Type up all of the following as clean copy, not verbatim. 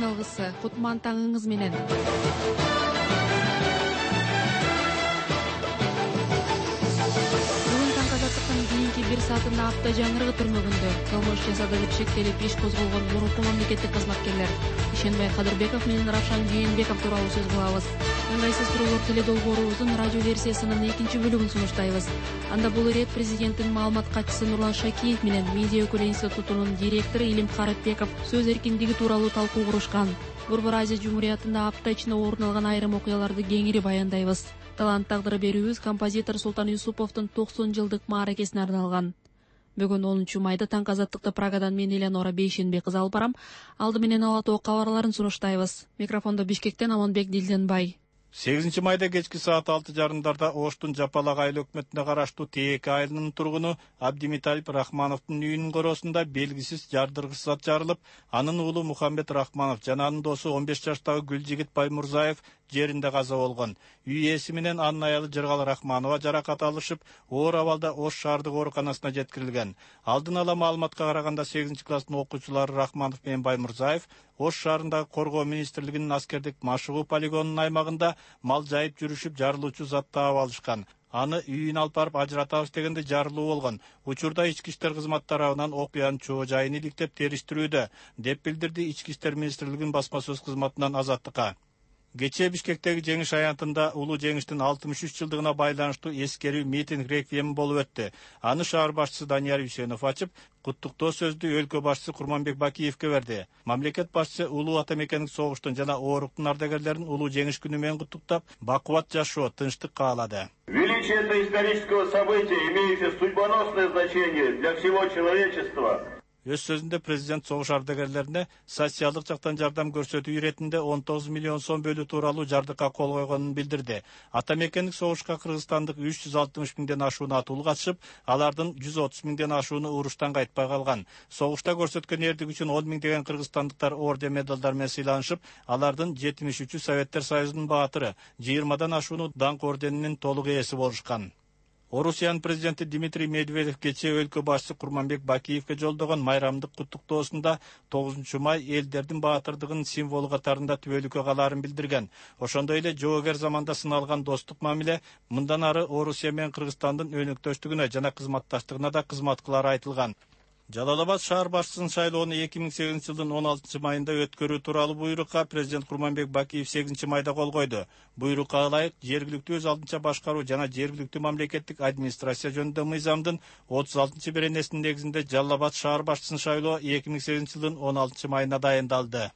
Кутман алгысы, кутман таңыңыз менен. Бүгүн таң азаттыктын кийинки 1 саатында апта жаңырыгы түрмөгүндө кылмыш жасады деп шектелип иш козголгон мурунку мамлекеттик кызматкерлер Ишенбай Кадырбеков менен Равшан Жээнбеков тууралуу сөз кылабыз. Ыңгайсыз туруулар теледолбоорубуздун радио версиясынын 2-бөлүгүн сунуштайбыз. Анда бул ирет президенттин маалымат катчысы Нурлан Шакиев менен Медиа өкүлү институтунун директору Илим Каратбеков сөз эркиндиги тууралуу талкуу курушкан. Борбор Азия Жумуриятында апта ичинде орун алган айрым окуяларды кеңири баяндайбыз. Талант тагдыры берүүбүз композитор Султан Юсуповдун 90 жылдык мааракесине арналган. Бүгүн 10 майда таң азаттыкты Прагадан мен Элеонора Бейшенбек кызы алып барам. Алды менен ала тоо кабарларын сунуштайбыз. Микрофондо Бишкектен Аманбек Дилденбай. 8 майда кечки саат 6:30 Оштун Жапалак айыл өкмөтүнө караштуу Тээке айылынын тургуну Абдимиталип Рахмановдун үйүнүн коросунда белгисиз жардыргыч зат жарылып, анын уулу Мухаммед Рахманов жана анын досу 15 жаштагы Гүлжигит Баймурзаев жеринде каза болгон. Үй ээси менен анын аялы Жыргал Рахманова жаракат алышып, оор абалда Ош шаардык ооруканасына жеткирилген. Алдын ала маалыматка караганда 8-класстын окуучулары Рахманов менен Баймурзаев Ош шаарындагы Коргоо министрлигинин аскердик машыгуу полигонунун аймагында мал жайып жүрүшүп жарылуучу зат таап алышкан. Аны үйүнө алып барып ажыратабыз дегенде жарылуу болгон. Учурда ички иштер кызматы тарабынан окуянын чоо жайын иликтеп териштирүүдө, деп билдирди Ички иштер министрлигинин басма сөз кызматынан Азаттыкка. Кечээ Бишкектеги жеңиш аянтында улуу жеңиштин 63 жылдыгына байланыштуу эскерүү митинг реквием болуп өттү. Аны шаар башчысы Данияр Үсенов ачып, куттуктоо сөздү өлкө башчысы Курманбек Бакиевке берди. Мамлекет башчысы улуу ата мекендик согуштун жана ооруктун ардагерлерин улуу жеңиш күнү менен куттуктап, бакубат жашоо, тынчтык каалады. Величие этого исторического события, имеющее судьбоносное значение для всего человечества. Өз сөзүндө президент согуш ардагерлерине социалдык жактан жардам көрсөтүү иретинде 19 миллион сом бөлүү тууралуу жардыкка кол койгонун билдирди. Ата мекендик согушка кыргызстандык 360 миңден ашууну атуу катышып, алардын 130 миңден ашууну уруштан кайтпай калган. Согушта көрсөткөн эрдик үчүн 10 миңдеген кыргызстандыктар орден медалдар менен сыйланышып, алардын 73-ү Советтер Союзунун баатыры, 20-дан ашууну даңк орденинин толук ээси болушкан. Орусиянын президенти Дмитрий Медведев кечээ өлкө башчысы Курманбек Бакиевке жолдогон майрамдык куттуктоосунда 9 май элдердин баатырдыгынын символу катарында түбөлүккө калаарын билдирген. Ошондой эле жоогер заманда сыналган достук мамиле мындан ары Орусия менен Кыргызстандын өнөктөштүгүнө жана кызматташтыгына да кызмат кылары айтылган. Жалал-Абад шаар башчысынын шайлоону 2008 жылдын 16 майында өткөрүү тууралуу буйрукка президент Курманбек Бакиев 8 майда кол койду. Буйрукка ылайык жергиликтүү өз алдынча башкаруу жана жергиликтүү мамлекеттик администрация жөнүндө мыйзамдын 36 беренесинин негизинде Жалал-Абад шаар башчысын шайлоо 2008 жылдын 16 майына дайындалды.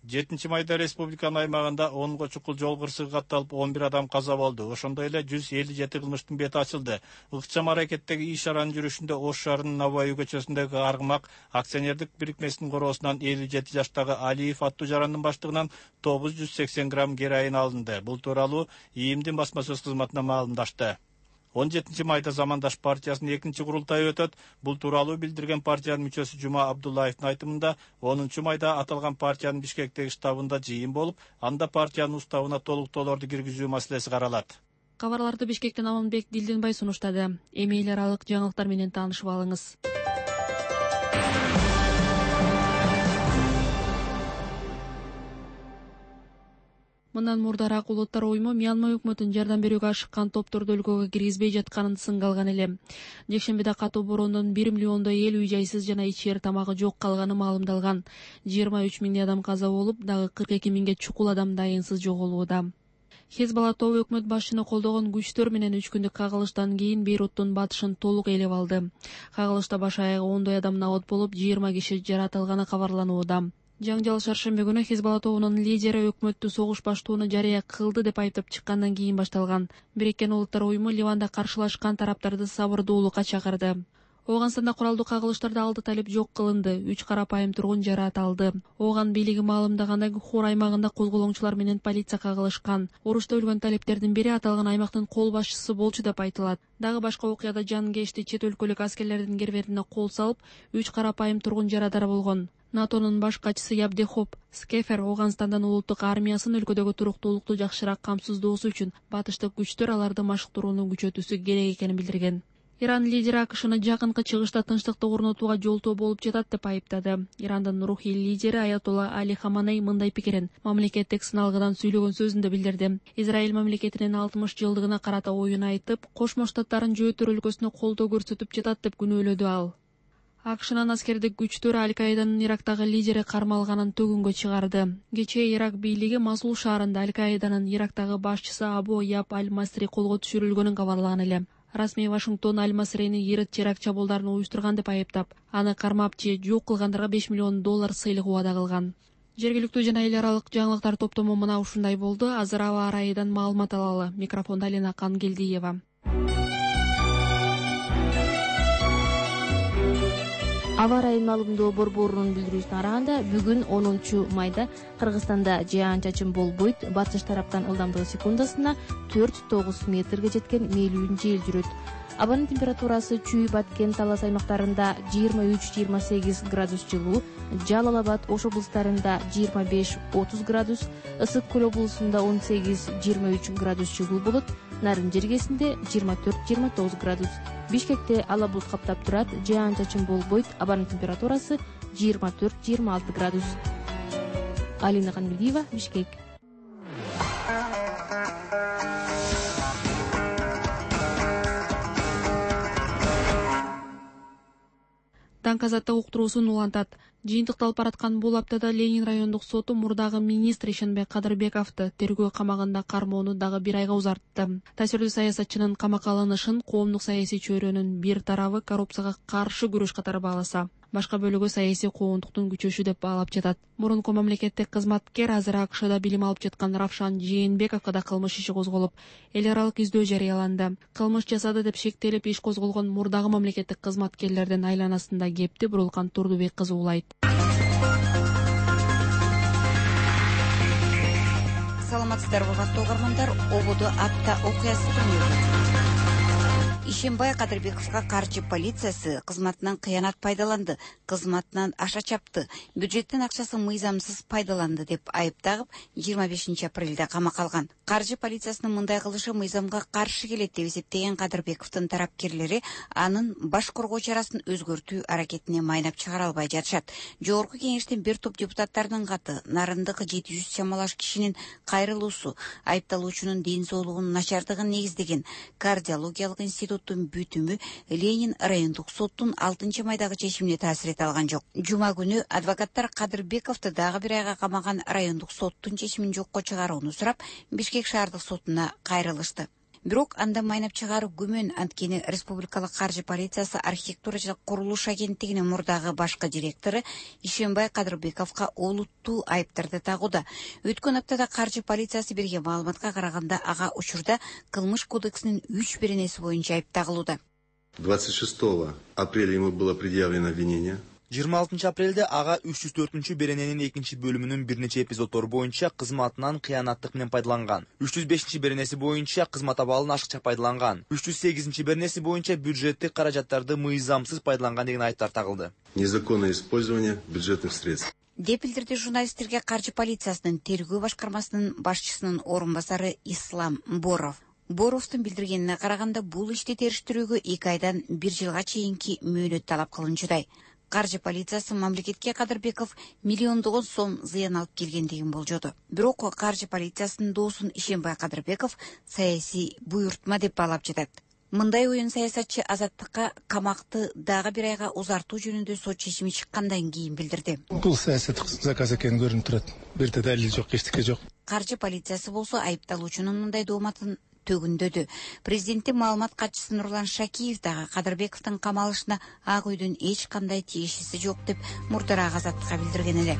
7 майда республиканын аймагында 10 чукул жол кырсыгы катталып 11 адам каза болду. Ошондой эле 157 кылмыштын бети ачылды. Ыкчам аракеттеги иш-чаранын жүрүшүндө Ош шаарынын Набаев көчөсүндөгү Аргымак акционердик бирикмесинин короосунан 57 жаштагы Алиев аттуу жарандын баштыгынан 980 грамм героин алынды. Бул тууралуу ИИМдин басма сөз кызматына маалымдашты. 17 майда Замандаш партиясынын 2-чи курултайы өтөт. Бул тууралуу билдирген партиянын мүчөсү Жума Абдуллаевдин айтымында 10 майда аталган партиянын Бишкектеги штабында жыйын болуп, анда партиянын уставына толуктоолорду киргизүү маселеси каралат. Кабарларды Бишкектен Аманбек Дилденбай сунуштады. Эми эл аралык жаңылыктар менен таанышып алыңыз. Мындан мурдараак улуттар уюму Мьянма өкмөтүнүн жардам берүүгө ашыккан топторду өлкөгө киргизбей жатканын сынга алган эле. Жекшембиде катуу бороондон 1 миллиондой эл үй-жайсыз жана ичер тамагы жок калганы маалымдалган. 23 миңдей адам каза болуп, дагы 42 миңге чукул адам дайынсыз жоголууда. Хезбалла тобу өкмөт башчыны колдогон күчтөр менен 3 күндүк кагылыштан кийин Бейруттун батышын толук ээлеп алды. Кагылышта баш аягы 10 адам набат болуп, 20 киши жаратылганы кабарланууда. Жаңжал шаршемби күнү Хезбалла тобунун лидери өкмөттү согуш баштоону жарыя кылды деп айыптап чыккандан кийин башталган. Бириккен Улуттар уюму Ливанда каршылашкан тараптарды сабырдуулукка чакырды. Ооганстанда куралдуу кагылыштарды алды талеп жок кылынды. 3 карапайым тургун жаратылды. Ооган бийлиги маалымдагандай Хур аймагында козголоңчулар менен полиция кагылышкан. Урушта өлгөн талептердин бири аталган аймактын кол башчысы болчу деп айтылат. Дагы башка окуяда жанкешти чет өлкөлүк аскерлердин кербетине кол салып, 3 карапайым тургун жарадар болгон. НАТОнун баш катчысы Ябдехоп Скефер Ооганстандан улуттук армиясын өлкөдөгү туруктуулукту жакшыраак камсыздоосу үчүн батыштык күчтөр аларды машыктырууну күчөтүүсү керек экенин билдирген. Иран лидери АКШны жакынкы чыгышта тынчтыкты орнотууга жолтоо болуп жатат деп айыптады. Ирандын рухий лидери Аятолла Али Хаманей мындай пикирин мамлекеттик сыналгыдан сүйлөгөн сөзүндө билдирди. Израиль мамлекетинин 60 жылдыгына карата оюн айтып, Кошмо Штаттарын жөөтөр өлкөсүнө колдоо көрсөтүп жатат деп күнөөлөдү ал. АКШнын аскердик күчтөрү Аль-Каиданын Ирактагы лидери кармалганын төгүнгө чыгарды. Кечээ Ирак бийлиги Масул шаарында Аль-Каиданын Ирактагы башчысы Абу Яб Аль-Масри колго түшүрүлгөнүн кабарлаган эле. Расмий Вашингтон Аль-Масрини ирет теракт чабуулдарын уюштурган деп айыптап, аны кармап же жок кылгандарга $5 миллион сыйлык убада кылган. Жергиликтүү жана эл аралык жаңылыктар топтому мына ушундай болду. Азыр аба ырайыдан маалымат алалы. Микрофонда Алина Кангелдиева. Аба ырайын маалымдоо борборунун билдирүүсүнө караганда, бүгүн 10 майда Кыргызстанда жаан-чачын болбойт. Батыш тараптан ылдамдыгы секундасына 4-9 метрге жеткен мээлүүн жел жүрөт. Абанын температурасы Чүй, Баткен, Талас аймактарында 23-28 градус жылуу, Жалал Абад, Ош облустарында 25-30 градус, Ысык Көл облусунда 18-23 градус жылуу болот. Нарын жергесинде 24-29 градус. Бишкекте ала булут каптап турат, жаан-чачын болбойт. Абанын температурасы 24-26 градус. Алина Кангелдиева, Бишкек. Даңк азаттык уктуруусун улантат. Жыйынтыкталып бараткан бул аптада Ленин райондук соту мурдагы министр Ишенбек Кадырбековду тергөө камагында кармоону дагы 1 айга узартты. Таасирдүү саясатчынын камакка алынышын коомдук саясий чөйрөнүн бир тарабы коррупцияга каршы күрөш катары бааласа, башка бөлүгү саясий коондуктун күчөшү деп баалап жатат. Мурунку мамлекеттик кызматкер азыр АКШда билим алып жаткан Равшан Жээнбековго да кылмыш иши козголуп, эл аралык издөө жарыяланды. Кылмыш жасады деп шектелип иш козголгон мурдагы мамлекеттик кызматкерлердин айланасында кепти Бурулкан Турдубек кызы улайт. Саламатсыздарбы, урматтуу угармандар. Ободо апта окуясы түнү. Ишенбай Кадырбековго каржы полициясы кызматынан кыянат пайдаланды, кызматынан аша чапты, бюджеттин акчасын мыйзамсыз пайдаланды деп айыптагып 25 апрелде камакка алган. Каржы полициясынын мындай кылышы мыйзамга каршы келет деп эсептеген Кадырбековдун тарапкерлери анын баш коргоо чарасын өзгөртүү аракетине майнап чыгара албай жатышат. Жогорку кеңештин бир топ депутаттарынын каты нарындагы 700 чамалаш кишинин кайрылуусу, айыпталуучунун ден соолугунун начардыгын негиздеген кардиологиялык институттун бүтүмү Ленин райондук соттун 6 майдагы чечимине таасир эте алган жок. Жума күнү адвокаттар Кадырбековду дагы 1 айга камаган райондук соттун чечимин жокко чыгарууну сурап, Бишкек шаардык сотуна кайрылышты. Бирок анда майнап чыгаруу күмөн, анткени Республикалык каржы полициясы архитектура жана курулуш агенттигинин мурдагы башкы директору Ишенбай Кадырбековго олуттуу айыптарды тагууда. Өткөн аптада каржы полициясы берген маалыматка караганда ага учурда кылмыш кодексинин 3 беренеси боюнча айып тагылууда. 26 апреля ему было предъявлено обвинение. 26 апрелде ага 304 берененин 2 бөлүмүнүн бир нече эпизоддору боюнча кызматынан кыянаттык менен пайдаланган. 305 беренеси боюнча кызмат абалын ашыкча пайдаланган. 308 беренеси боюнча бюджеттик каражаттарды мыйзамсыз пайдаланган деген айыптар тагылды. Незаконное использование бюджетных средств. Деп билдирди журналисттерге каржы полициясынын тергөө башкармасынын башчысынын орун басары Ислам Боров. Боровдун билдиргенине караганда, бул ишти териштирүүгө 2 айдан 1 жылга чейинки мөөнөт талап кылынчудай. Каржы полициясы мамлекетке Кадырбеков миллиондогон сом зыян алып келгендигин болжоду. Бирок каржы полициясынын доосун Ишенбай Кадырбеков саясий буйртма деп баалап жатат. Мындай оюн саясатчы азаттыкка камакты дагы 1 айга узартуу жөнүндө сот чечими чыккандан кийин билдирди. Бул саясаттык заказ экени көрүнүп турат. Бир да далил жок, эчтеке жок. Каржы полициясы болсо айыпталуучунун мындай дооматын төгүндөдү. Президенттин маалымат катчысы Нурлан Шакиев дагы Кадырбековдун камалышына Ак үйдүн эч кандай тиешеси жок деп мурдараак азаттыкка билдирген эле.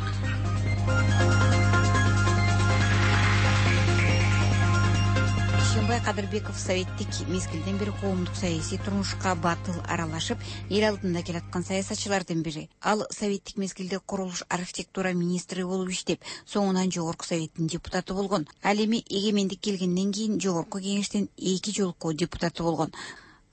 Ишенбай Кадырбеков советтик мезгилден бери коомдук саясий турмушка батыл аралашып, эл алдында келаткан саясатчылардын бири. Ал советтик мезгилде курулуш архитектура министри болуп иштеп, соңунан жогорку советтин депутаты болгон. Ал эми эгемендик келгенден кийин жогорку кеңештин 2 жолку депутаты болгон.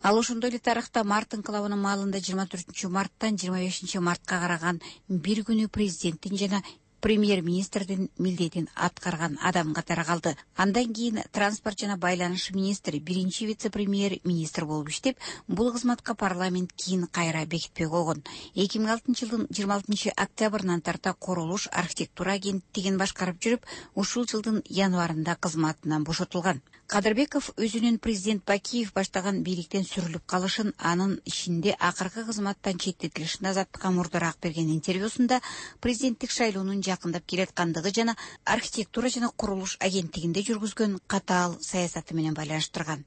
Ал ошондой эле тарыхта март инкылабынын маалында 24 марттан 25 мартка караган бир күнү президенттин жана премьер-министрдин милдетин аткарган адам катары калды. Андан кийин транспорт жана байланыш министри, биринчи вице-премьер-министр болуп иштеп, бул кызматка парламент кийин кайра бекитпей койгон. 2006 жылдын 26 октябрынан тарта курулуш архитектура агенттигин башкарып жүрүп, ушул жылдын январында кызматынан бошотулган. Кадырбеков өзүнүн президент Бакиев баштаган бийликтен сүрүлүп калышын, анын ишинде акыркы кызматтан четтетилишин азаттыкка мурдараак берген интервьюсунда президенттик шайлоонун жакындап келаткандыгы жана архитектура жана курулуш агенттигинде жүргүзгөн катаал саясаты менен байланыштырган.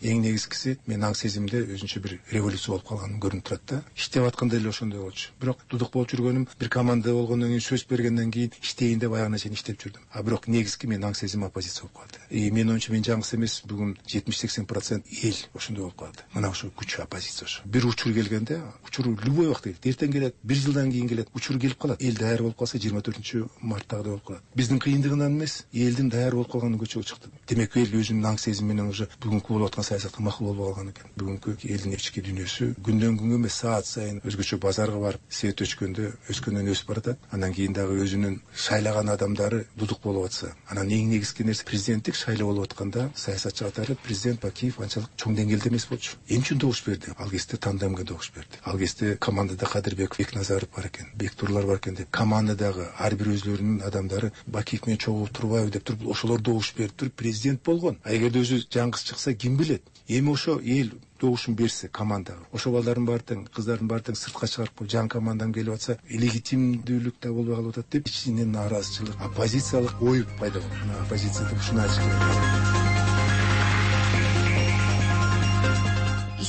Эң негизгиси мен аң сезимде өзүнчө бир революция болуп калганым көрүнүп турат да. Иштеп атканда эле ошондой болчу. Бирок дудук болуп жүргөнүм, бир команда болгондон кийин, сөз бергенден кийин иштейин деп аягына чейин иштеп жүрдүм. Бирок негизги мен аң сезим оппозиция болуп калды. Мен оюмча мен жалгыз эмес, бүгүн 70-80% эл ошондой болуп калды. Мына ошо күч оппозиция ошо. Бир учур келгенде, учур любой убакта келет. Эртең келет, бир жылдан кийин келет, учур келип калат. Эл даяр болуп калса 24-марттагыдай болуп калат. Биздин кыйындыгынан эмес, элдин даяр болуп калганын көчөгө чыкты. Демек эл өзүнүн аң сезими менен уже бүгүнкү болуп аткан саясатка макул болуп калган экен. Бүгүнкү элдин ички дүйнөсү күндөн күнгө эмес, саат сайын өзгөчө базарга барып, свет өскөндөн өсүп баратат. Андан кийин дагы өзүнүн шайлаган адамдары дудук болуп атса, анан эң негизги нерсе президенттик шайлоо болуп атканда саясатчы катары президент Бакиев анчалык чоң деңгээлде эмес болчу. Эмне үчүн добуш берди? Ал кезде тандемге добуш берди. Ал кезде командада Кадырбеков, Бекназаров бар экен, Бектурлар бар экен деп, командадагы ар бир өзлөрүнүн адамдары Бакиев менен чогулуп турбайбы деп туруп, ошолор добуш берип туруп президент болгон. Эгерде өзү жаңгыз чыкса ким билет? Эми ошо эл добушун берсе командага, ошо балдардын баары тең, кыздардын баары тең сыртка чыгарып коюп, жаңы командам келип атса, легитимдүүлүк да болбой калып атат деп ичинен нааразычылык, оппозициялык ой пайда болду. Оппозиция деп ушуну айтышат.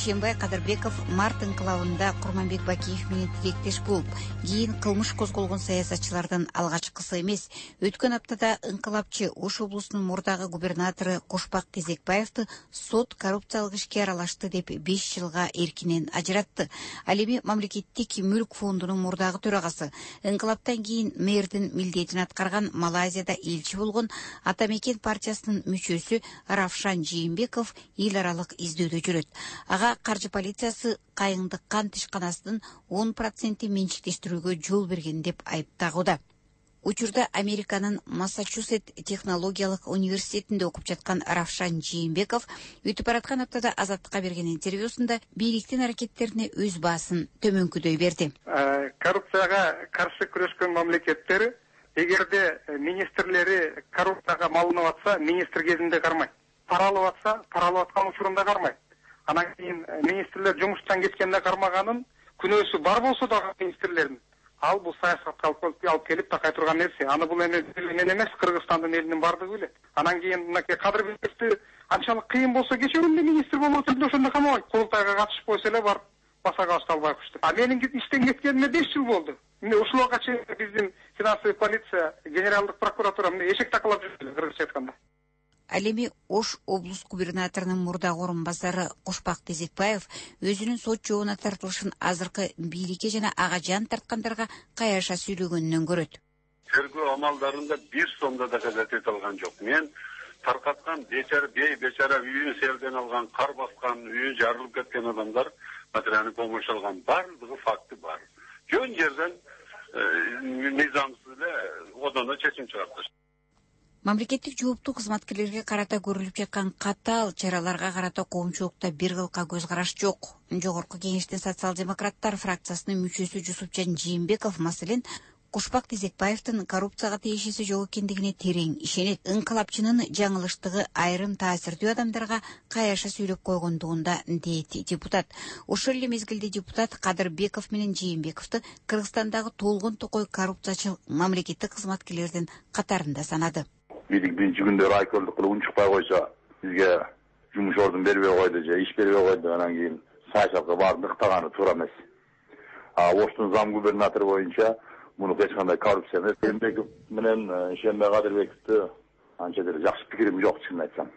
Ишенбай Кадырбеков март инкылабында Курманбек Бакиев менен тилектеш болуп, кийин кылмыш козголгон саясатчылардын алгачкысы эмес. Өткөн аптада инкылапчы Ош облусунун мурдагы губернатору Кошпак Кезекбаевди сот коррупциялык ишке аралашты деп 5 жылга эркинен ажыратты. Ал эми мамлекеттик мүлк фондунун мурдагы төрагасы, инкылаптан кийин мэрдин милдетин аткарган, Малайзияда элчи болгон Атамекен партиясынын мүчөсү Равшан Жээнбеков эл аралык издөөдө жүрөт. Ага каржы полициясы кайыңдык кант ишканасынын 10% менчиктештирүүгө жол берген деп айыптагууда. Учурда Американын Массачусетс технологиялык университетинде окуп жаткан Равшан Жээнбеков өтүп бараткан аптада Азаттыкка берген интервьюсунда бийликтин аракеттерине өз баасын төмөнкүдөй берди. Коррупцияга каршы күрөшкөн мамлекеттер эгерде министрлери коррупцияга малынып атса, министр кезинде кармайт. Паралап атса, паралап аткан учурунда кармайт. Анан кийин министрлер жумуштан кеткенде кармаганын, күнөөсү бар болсо дагы министрлердин, ал бул саясатка алып келип такай турган нерсе. Аны бул эми мен эмес, Кыргызстандын элинин бардыгы билет. Анан кийин мынакей Кадырбековду анчалык кыйын болсо кечүүрүндө министр болуп отурду, ошондо камабайт. Курултайга катышып койсо эле барып басага башта албайбыз деп. Менин иштен кеткениме 5 жыл болду. Ушулга чейин биздин финансовый полиция, генералдык прокуратура эшек такалап жүрдү, кыргызча айтканда. Ал эми Ош облус губернаторунун мурдагы орун басары Кошпак Кезекбаев өзүнүн сот жообуна тартылышын азыркы бийликке жана ага жан тарткандарга каяша сүйлөгөнүнөн көрөт. Тергөө амалдарында бир сомдо да казат эте алган жок. Мен таркаткан бечара үйүн селден алган, кар баскан, үйү жарылып кеткен адамдар материалдык помощь алган, бардыгы факты бар. Жөн жерден мыйзамсыз эле одоно чечим чыгарттыш. Мамлекеттик жооптуу кызматкерлерге карата көрүлүп жаткан катаал чараларга карата коомчулукта бир кылка көз караш жок. Жогорку кеңештин социал-демократтар фракциясынын мүчөсү Жусупжан Жээнбеков маселен Кошпак Кезекбаевдин коррупцияга тиешеси жок экендигине терең ишенет. Инкылапчынын жаңылыштыгы айрым таасирдүү адамдарга каяша сүйлөп койгондугунда дейт депутат. Ошол эле мезгилде депутат Кадырбеков менен Жээнбековду Кыргызстандагы толгон токой коррупциячыл мамлекеттик кызматкерлердин катарында санады. Бийлик биринчи күндө райкомдук кылып унчукпай койсо, бизге жумуш ордун бербей койду же иш бербей койду, анан кийин саясатка баарын ыктаганы туура эмес. Оштун зам губернатору боюнча муну эч кандай коррупция эмес. Жээнбеков менен Ишенбай Кадырбековду анча деле жакшы пикирим жок, чынын айтсам.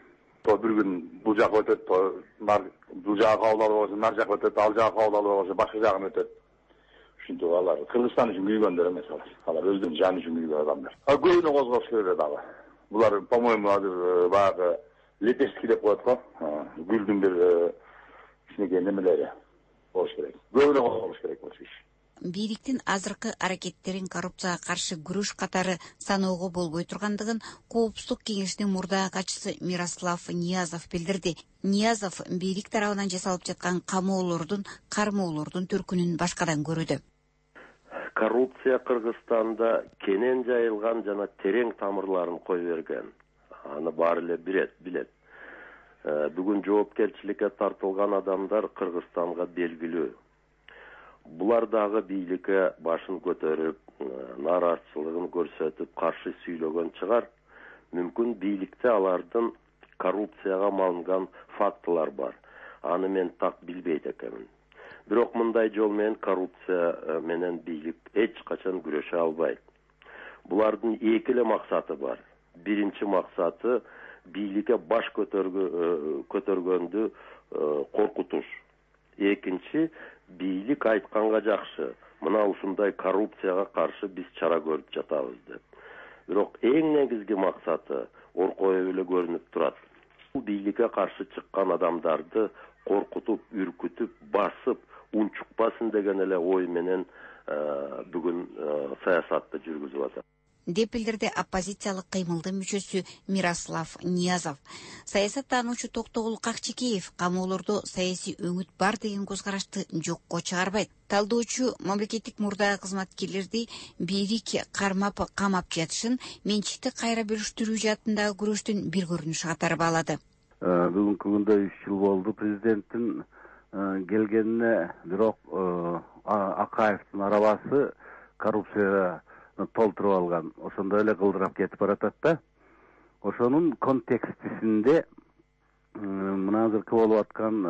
Бир күн бул жака өтөт, бул жака кабыл алып койсо, нар жака өтөт, ал жака кабыл алып койсо, башка жагын өтөт. Ушинтип алар Кыргызстан үчүн күйгөндөр эмес алар. Алар өздөрүнүн жаны үчүн күйгөн адамдар. Көбүнө козгош керек дагы. Булар, по-моему, азыр баягы лепестки деп коет го. Гүлдүн бир кичинекей немелери болуш керек. Көбүнө козголуш керек болчу иш. бийликтин азыркы аракеттерин коррупцияга каршы күрөш катары саноого болбой тургандыгын Коопсуздук кеңешинин мурдагы катчысы Мирослав Ниязов билдирди. Ниязов бийлик тарабынан жасалып жаткан камоолордун, кармоолордун төркүнүн башкадан көрүүдө. Коррупция Кыргызстанда кенен жайылган жана терең тамырларын кой берген. Аны баары эле билет. Бүгүн жоопкерчиликке тартылган адамдар Кыргызстанга белгилүү. Булар дагы бийликке башын көтөрүп, нааразычылыгын көрсөтүп, каршы сүйлөгөн чыгар. Мүмкүн бийликте алардын коррупцияга малынган фактылар бар. Аны мен так билбейт экенмин. Бирок мындай жол менен коррупция менен бийлик эч качан күрөшө албайт. Булардын эки эле максаты бар. Биринчи максаты бийликке баш көтөргөндү коркутуш. Экинчи бийлик айтканга жакшы. Мына ушундай коррупцияга каршы биз чара көрүп жатабыз деп. Бирок эң негизги максаты оркоюп эле көрүнүп турат. Бул бийликке каршы чыккан адамдарды коркутуп, үркүтүп, басып, унчукпасын деген эле ой менен бүгүн саясатты жүргүзүп атат деп билдирди оппозициялык кыймылдын мүчөсү Мирослав Ниязов. Саясаттануучу Токтогул Какчекеев камоолордо саясий өңүт бар деген көз карашты жокко чыгарбайт. Талдоочу мамлекеттик мурдагы кызматкерлерди бийлик кармап камап жатышын менчикти кайра бөлүштүрүү жаатындагы күрөштүн бир көрүнүшү катары баалады. Бүгүнкү күндө 3 жыл болду президенттин келгенине, бирок Акаевдин арабасы коррупцияга толтуруп алган. Ошондой эле кылдырап кетип баратат да. Ошонун контекстисинде мына азыркы болуп аткан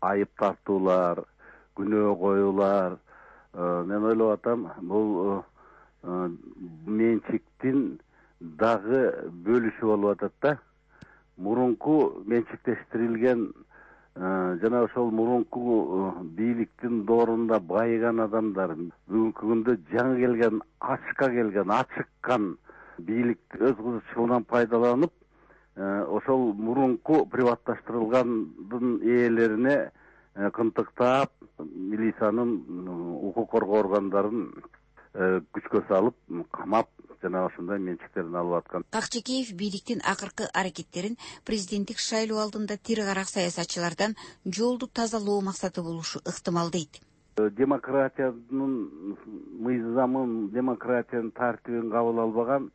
айып тартуулар, күнөө коюулар, мен ойлоп атам, бул менчиктин дагы бөлүшү болуп атат да. Мурунку менчиктештирилген жана ошол мурунку бийликтин доорунда байыган адамдар бүгүнкү күндө жаңы келген, ачыккан бийлик өз кызыкчылыгынан пайдаланып, ошол мурунку приватташтырылгандын ээлерине кынтыктап, милициянын, укук коргоо органдарын күчкө салып, камап, жана ошондой менчиктерин алып аткан. Какчекеев бийликтин акыркы аракеттерин президенттик шайлоо алдында тир карак саясатчылардан жолду тазалоо максаты болушу ыктымал дейт. Демократиянын мыйзамын, демократиянын тартибин кабыл албаган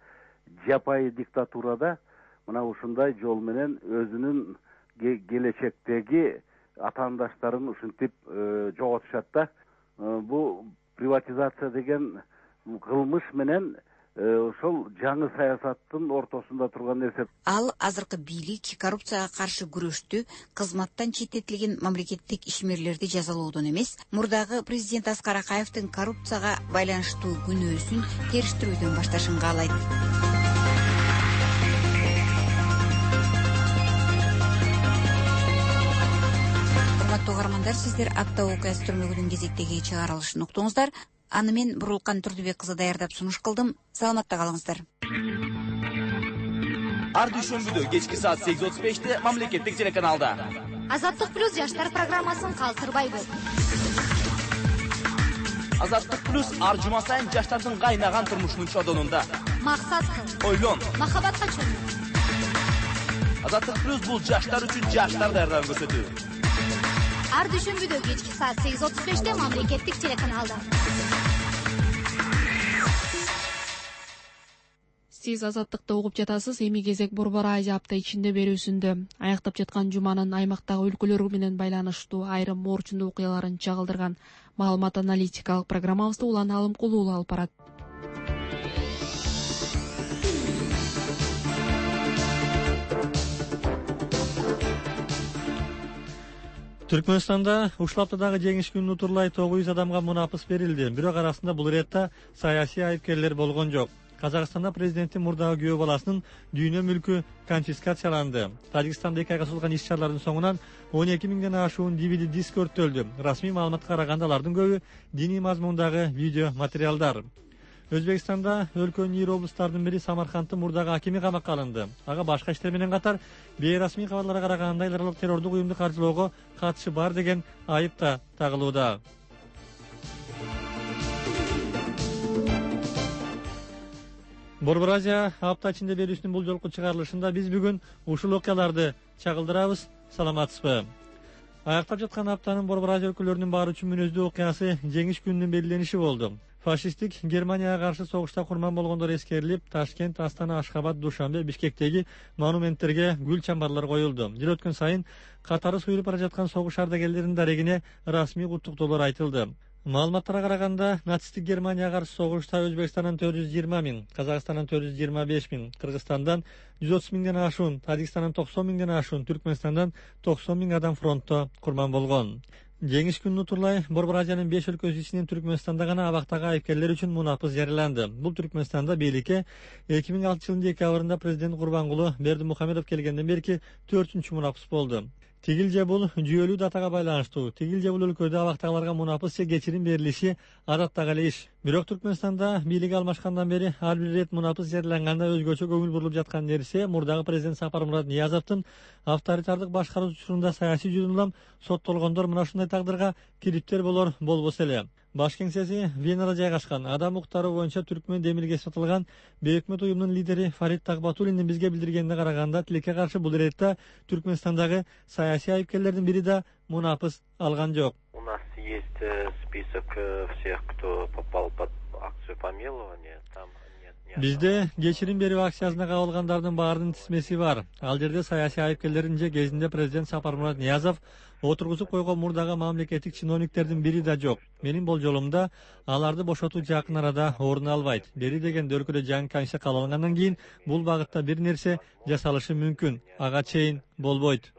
жапайы диктатурада мына ушундай жол менен өзүнүн келечектеги атаандаштарын ушинтип жоготушат да. Бул приватизация деген кылмыш менен ошол жаңы саясаттын ортосунда турган нерсе. Ал азыркы бийлик коррупцияга каршы күрөштү кызматтан четтетилген мамлекеттик ишмерлерди жазалоодон эмес, мурдагы президент Аскар Акаевдин коррупцияга байланыштуу күнөөсүн териштирүүдөн башташын каалайт. Урматтуу угармандар, сиздер апта окуясы түрмөгүнүн кезектеги чыгарылышын уктуңуздар. Аны мен Бурулкан Турдубек кызы даярдап сунуш кылдым. Саламатта калыңыздар. Ар дүйшөмбүдө кечки саат 8:35-те мамлекеттик телеканалда. Азаттык плюс жаштар программасын калтырбай көз. Азаттык плюс ар жума сайын жаштардын кайнаган турмушунун чодонунда. Максат кыл. Ойлон. Махабатка чөмүл. Азаттык плюс бул жаштар үчүн жаштар даярдап көрсөтүү. Ар дүйшөмбүдө кечки саат 8:35-те мамлекеттик телеканалда. Сиз азаттыкты угуп жатасыз. Эми кезек Борбор Азия апта ичинде берүүсүндө. Аяктап жаткан жуманын аймактагы өлкөлөр менен байланыштуу айрым морчундуу окуяларын чагылдырган маалымат аналитикалык программабызды Улан Алымкулуу алып барат. Түркмөнстанда ушул аптадагы жеңиш күнүн утурлай 900 адамга мунапыс берилди. Бирок арасында бул иретте саясий айыпкерлер болгон жок. Казакстанда президенттин мурдагы күйөө баласынын дүйнө мүлкү конфискацияланды. Тажикстанда 2 айга созулган иш-чаралардын соңунан 12 миңден ашуун DVD диск өрттөлдү. Расмий маалыматка караганда алардын көбү диний мазмундагы видео материалдар. Өзбекстанда өлкөнүн ийри облустарынын бири Самаркандтын мурдагы акими камакка алынды. Ага башка иштер менен катар бейрасмий кабарларга караганда эл аралык террордук уюмду каржылоого катышы бар деген айып да тагылууда. Борбор Азия апта ичинде берүүсүнүн бул жолку чыгарылышында биз бүгүн ушул окуяларды чагылдырабыз. Саламатсызбы? Аяктап жаткан аптанын Борбор Азия өлкөлөрүнүн баары үчүн мүнөздүү окуясы жеңиш күнүнүн белгилениши болду. Фашисттик Германияга каршы согушта курман болгондор эскерилип, Ташкент, Астана, Ашхабад, Душанбе, Бишкектеги монументтерге гүл чамбарлар коюлду. Жыл өткөн сайын катары суюлуп бара жаткан согуш ардагерлеринин дарегине расмий куттуктоолор айтылды. Маалыматтарга караганда, нацисттик Германияга каршы согушта Өзбекстандан 420 миң, Казакстандан 425 миң, Кыргызстандан 130 миңден ашуун, Тажикстандан 90 миңден ашуун, Түркмөнстандан 90 миң адам фронтто курман болгон. Жеңиш күнүн утурлай Борбор Азиянын 5 өлкөсү ичинен Түркмөнстанда гана абактагы айыпкерлер үчүн мунапыс жарыяланды. Бул Түркмөнстанда бийликке 2006 жылдын декабрында президент Курбангулы Бердимухамедов келгенден берки 4-чү мунапыс болду. Тигил же бул жүйөлүү датага байланыштуу. Тигил же бул өлкөдө абактагыларга мунапыс же кечирим берилиши адаттагы эле иш. Бирок Түркмөнстанда бийлик алмашкандан бери ар бир ирет мунапыс жарыяланганда өзгөчө көңүл бурулуп жаткан нерсе мурдагы президент Сапармурат Ниязовдун авторитардык башкаруу учурунда саясий жүзүн улам соттолгондор мына ушундай тагдырга кириптер болор болбосо эле. Баш кеңсеси Венада жайгашкан. Адам укуктары боюнча түркмөн демилге сатылган бейөкмөт уюмунун лидери Фарид Тагбатуллиндин бизге билдиргенине караганда, тилекке каршы бул иретте Түркмөнстандагы саясий айыпкерлердин бири да мунапыс алган жок. У нас есть список всех, кто попал под акцию помилования. Там Бизде кечирим берүү акциясына кабылгандардын баарынын тизмеси бар. Ал жерде саясий айыпкерлердин же кезинде президент Сапармурат Ниязов отургузуп койгон мурдагы мамлекеттик чиновниктердин бири да жок. Менин болжолумда аларды бошотуу жакын арада орун албайт. Бери дегенде өлкөдө жаңы конституция кабыл кийин бул багытта бир нерсе жасалышы мүмкүн. Ага чейин болбойт.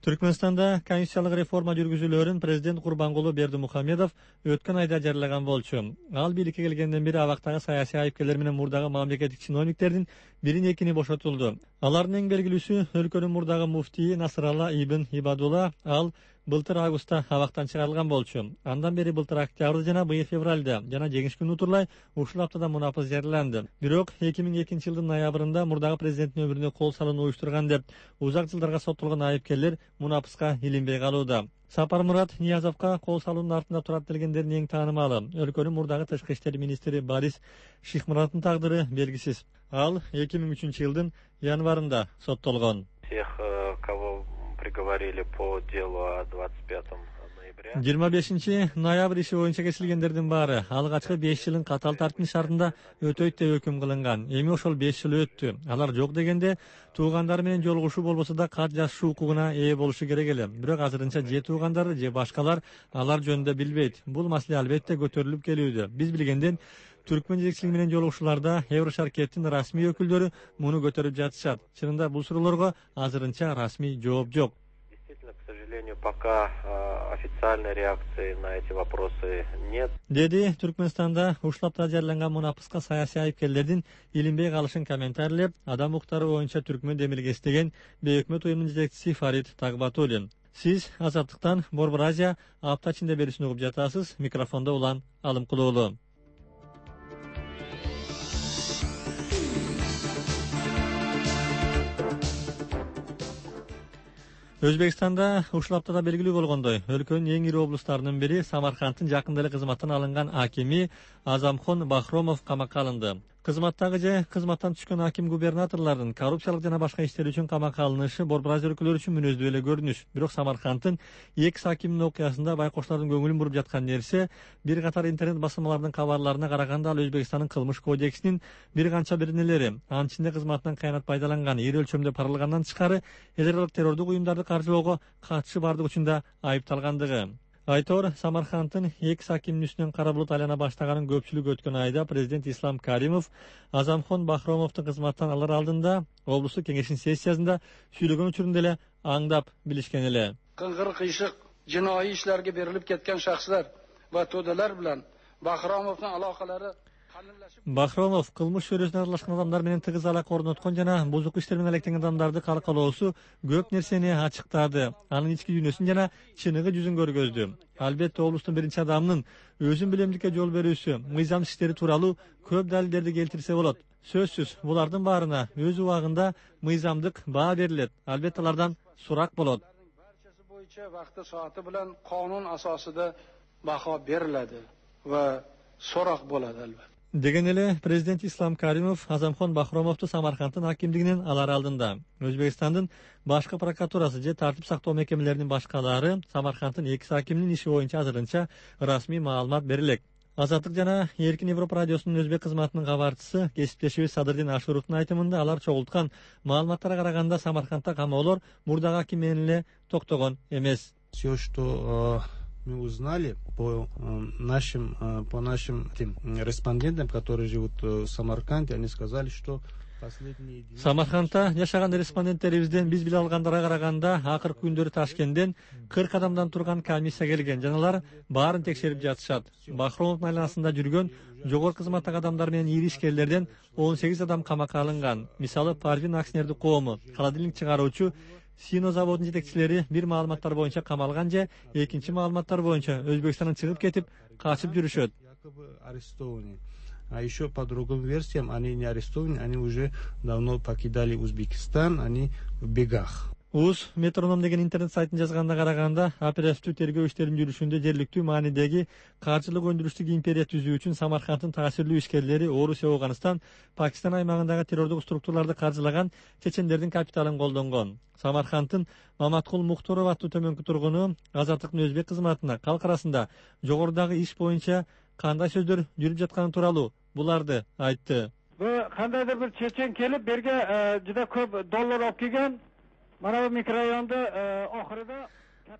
Түркмөнстанда конституциялык реформа жүргүзүүлөрүн президент Курбангулы Бердимухамедов өткөн айда жарыялаган болчу. Ал бийликке келгенден бери абактагы саясий айыпкерлер менен мурдагы мамлекеттик чиновниктердин бирин экини бошотулду. Алардын эң белгилүүсү өлкөнүн мурдагы муфтии Насыралла ибн Ибадулла. Ал былтыр августта абактан чыгарылган болчу. Андан бери былтыр октябрда жана быйыл февралда жана жеңиш күнү утурлай ушул аптада мунапыс жарыяланды. Бирок 2002 жылдын ноябрында мурдагы президенттин өмүрүнө кол салууну уюштурган деп узак жылдарга соттолгон айыпкерлер мунапыска илинбей калууда. Сапармурат Ниязовго кол салуунун артында турат делгендердин эң таанымалы өлкөнүн мурдагы тышкы иштер министри Борис Шихмураттын тагдыры белгисиз. Ал 2003 жылдын январында соттолгон. Всех, кого приговорили по делу 25 ноября. 25 ноябрь иши боюнча кесилгендердин баары алгачкы 5 жылын катал тартип шартында өтөйт деп өкүм кылынган. Эми ошол 5 жыл өттү. Алар жок дегенде туугандары менен жолугушуу болбосо да кат жазышуу укугуна ээ болушу керек эле. Бирок азырынча же туугандары же башкалар алар жөнүндө билбейт. Бул маселе албетте көтөрүлүп келүүдө. Биз билгенден Түркмөн жетекчилиги менен жолугушууларда Еврошаркеттин расмий өкүлдөрү муну көтөрүп жатышат. Чынында бул суроолорго азырынча расмий жооп жок. Действительно, к сожалению, пока официальной реакции на эти вопросы нет. Деди Түркмөнстанда ушул аптада жарыяланган мунапыска саясий айыпкерлердин илинбей калышын комментарийлеп, адам укуктары боюнча түркмөн демилгеси деген бейөкмөт уюмунун жетекчиси Фарид Тагбатуллин. Сиз Азаттыктан Борбор Азия апта ичинде берүүсүн угуп жатасыз. Микрофондо Улан Алымкулуулу. Өзбекстанда ушул аптада белгилүү болгондой, өлкөнүн эң ири облустарынын бири Самаркандтын жакында эле кызматтан алынган акими Азамхон Бахромов камакка алынды. Кызматтагы же кызматтан түшкөн аким губернаторлордун коррупциялык жана башка иштер үчүн камакка алынышы Борбор Азия өлкөлөрү үчүн мүнөздүү эле көрүнүш. Бирок Самаркандтын экс акиминин окуясында байкоштардын көңүлүн буруп жаткан нерсе бир катар интернет басылмалардын кабарларына караганда ал Өзбекстандын кылмыш кодексинин бир канча беренелери, анын ичинде кызматынан кыянат пайдаланган, ири өлчөмдө паралгандан тышкары эл аралык террордук уюмдарды каржылоого катышы бардыгы учурда айыпталгандыгы. Айтор Самаркандтын экс акиминин үстүнөн кара булут айлана баштаганын көпчүлүк өткөн айда президент Ислам Каримов Азамхон Бахромовду кызматтан алар алдында облустук кеңештин сессиясында сүйлөгөн учурунда эле аңдап билишкен эле. Кыңгыр кыйшык жинoi ишlerге берилип кеткен шахслар ва тоделер билен Бахромовдун алакалары Бахромов кылмыш чөйрөсүнө аралашкан адамдар менен тыгыз алака орноткон жана бузук иштер менен алектенген адамдарды калкалоосу көп нерсени ачыктады. Анын ички дүйнөсүн жана чыныгы жүзүн көргөздү. Албетте облустун биринчи адамынын өзүн билемдикке жол берүүсү, мыйзам иштери тууралуу көп далилдерди келтирсе болот. Сөзсүз, булардын баарына өз убагында мыйзамдык баа берилет. Албетте алардан сурак болот. Barchasi bo'yicha vaqti soati bilan qonun asosida baho beriladi va so'roq bo'ladi albatta. Деген эле президент Ислам Каримов Азамхон Бахромовду Самаркандтын акимдигинен алар алдында. Өзбекстандын башкы прокуратурасы же тартип сактоо мекемелеринин башкалары Самаркандтын 2 акиминин иши боюнча азырынча расмий маалымат берилек. Азаттык жана Эркин Европа радиосунун өзбек кызматынын кабарчысы кесиптешибиз Садырдин Ашуровдун айтымында алар чогулткан маалыматтарга караганда Самаркандда камоолор мурдагы аким менен эле токтогон эмес. Все, что мы узнали по нашим респондентам, которые живут в Самарканде, они сказали, что последние дни... Самаркандда жашаган респонденттерибизден биз биле алгандарга караганда акыркы күндөрү Ташкенттен 40 адамдан турган комиссия келген жана алар баарын текшерип жатышат. Бахромовдун айланасында жүргөн жогорку кызматтагы адамдар менен ири ишкерлерден 18 адам камакка алынган. Мисалы Парвин акционердик коому, холодильник чыгаруучу, Сино заводунун жетекчилери бир маалыматтар боюнча камалган же экинчи маалыматтар боюнча Өзбекстандан чыгып кетип, качып жүрүшөт. А еще по другим версиям они не арестованы, они уже давно покидали Узбекистан, они в бегах. УЗ Метроном деген интернет сайтын жазганда караганда, оперативдүү тергөө иштеринин жүрүшүндө жергиликтүү маанидеги каржылык өндүрүштүк империя түзүү үчүн Самаркандтын таасирлүү ишкерлери Орусия, Афганистан, Пакистан аймагындагы террордук структураларды каржылаган чечендердин капиталын колдонгон. Самаркандтын Маматкул Мухторов аттуу төмөнкү тургуну Азаттыктын өзбек кызматына калк арасында жогорудагы иш боюнча кандай сөздөр жүрүп жатканы тууралуу буларды айтты. Бул кандайдыр бир чечен келип берге жыда көп доллар алып келген. Мана бу микрорайондо охирда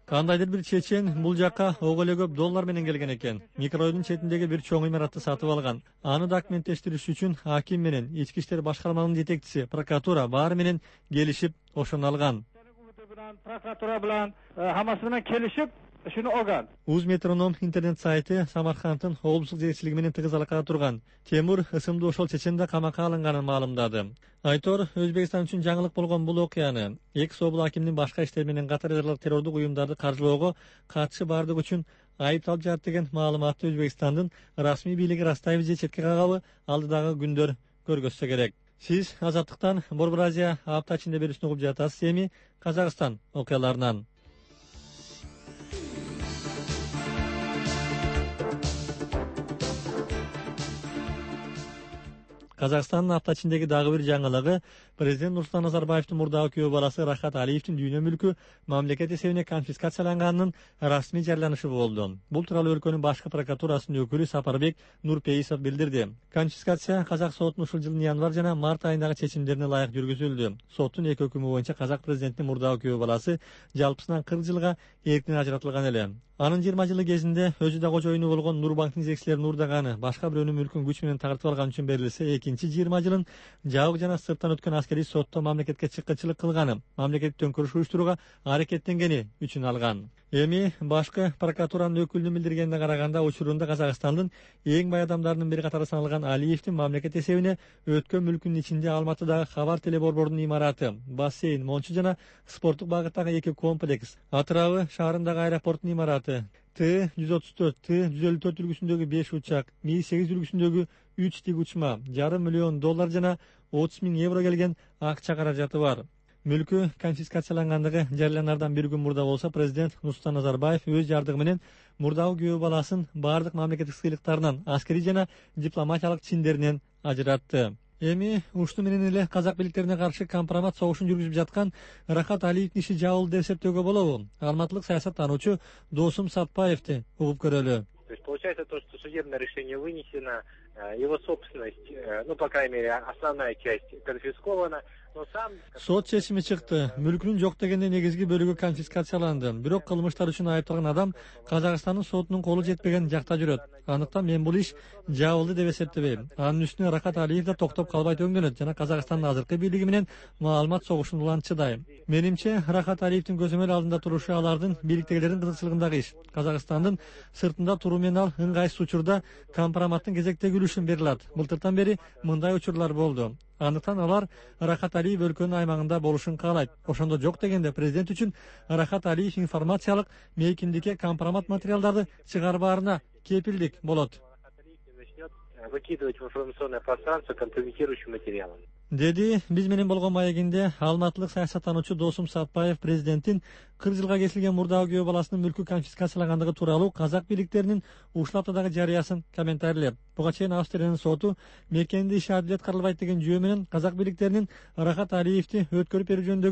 кандайдыр бир чечен бул жакка ого эле көп доллар менен келген экен. Микрорайондун четиндеги бир чоң имаратты сатып алган. Аны документтештириш үчүн аким менен ички иштер башкармалыгынын жетекчиси, прокуратура баары менен келишип ошону алган. Прокуратура менен хаммасы менен келишип шуну алган. УЗ Метроном интернет сайты Самаркандтын облустук жетекчилиги менен тыгыз алакада турган Темур ысымдуу ошол чечен да камакка алынганын маалымдады. Айтор Өзбекстан үчүн жаңылык болгон бул окуяны экс-обул акимдин башка иштер менен катар террордук уюмдарды каржылоого катышы бардыгы үчүн айыпталып жатат деген маалыматты Өзбекстандын расмий бийлиги ырастайбы же четке кагабы алдыдагы күндөр көргөзсө керек. Сиз Азаттыктан Борбор Азия апта ичинде берүүсүн угуп жатасыз. Эми Казакстан окуяларынан. Казакстандын апта ичиндеги дагы бир жаңылыгы президент Нурсултан Назарбаевдин мурдагы күйөө баласы Рахат Алиевдин дүйнө мүлкү мамлекет эсебине конфискацияланганын расмий жарыяланышы болду. Бул тууралуу өлкөнүн башкы прокуратурасынын өкүлү Сапарбек Нурпейисов билдирди. Конфискация казак сотунун ушул жылдын январь жана март айындагы чечимдерине ылайык жүргүзүлдү. Соттун эки өкүмү боюнча казак президентинин мурдагы күйөө баласы жалпысынан 40 жылга эркинен ажыратылган эле. Анын 20 жылы кезинде өзү да кожоюну болгон Нурбанктын жетекчилери Нурдаганы башка бирөөнүн мүлкүн күч менен тартып алган үчүн берилсе, экинчи 20 жылын жабык жана сырттан өткөн аскерий сотто мамлекетке чыккынчылык кылганы, мамлекеттик төңкөрүш уюштурууга аракеттенгени үчүн алган. Эми башкы прокуратуранын өкүлүнүн билдиргенине караганда, учурунда Казакстандын эң бай адамдарынын бири катары саналган Алиевдин мамлекет эсебине өткөн мүлкүнүн ичинде Алматыдагы Хабар телеборбордунун имараты, бассейн, мончу жана спорттук багыттагы эки комплекс, Атырабы шаарындагы аэропорттун имараты, Т-134, Т-154 үлгүсүндөгү 5 учак, Ми-8 үлгүсүндөгү 3 тик учма, $500 миллион жана 30 000 евро келген акча каражаты бар. Мүлкү конфискациялангандыгы жарыяланардан бир күн мурда болсо, президент Нурсултан Назарбаев өз жардыгы менен мурдагы күйөө баласын бардык мамлекеттик сыйлыктарынан, аскерий жана дипломатиялык чиндеринен ажыратты. Эми ушуну менен эле казак бийликтерине каршы компромат согушун жүргүзүп жаткан Рахат Алиевдин иши жабылды деп эсептөөгө болобу? Алматылык саясаттануучу Досум Сатпаевди угуп көрөлү. То есть получается то, что судебное решение вынесено, его собственность, ну, по крайней мере, основная часть конфискована, но сам... Сот чечими чыкты. Мүлкүнүн жок дегенде негизги бөлүгү конфискацияланды. Бирок кылмыштар үчүн айыпталган адам Казакстандын сотунун колу жетпеген жакта жүрөт. Андыктан мен бул иш жабылды деп эсептебейм. Анын үстүнө Рахат Алиев да токтоп калбай өңдөнөт жана Казакстандын азыркы бийлиги менен маалымат согушун улантчыдай. Менимче, Рахат Алиевдин көзөмөл алдында турушу алардын бийликтегилердин кызыкчылыгындагы иш. Казакстандын сыртында туруу менен ал ыңгайсыз учурда компроматтын кезектеги үлүшүн бере алат. Былтыртан бери мындай учурлар болду. Андыктан алар Рахат Алиев өлкөнүн аймагында болушун каалайт. Ошондо жок дегенде президент үчүн Рахат Алиев информациялык мейкиндикке компромат материалдарды чыгарбаарына кепилдик болот. выкидывать в информационное пространство компрометирующие материалы. Деди биз менен болгон маегинде алматылык саясаттануучу Досум Сатпаев президенттин 40 жылга кесилген мурдагы күйөө баласынын мүлкү конфискациялангандыгы тууралуу казак бийликтеринин ушул аптадагы жарыясын комментарийлеп, буга чейин Австриянын соту мекенде иш адилет каралбайт деген жүйө менен казак бийликтеринин Рахат Алиевди өткөрүп берүү жөнүндөгү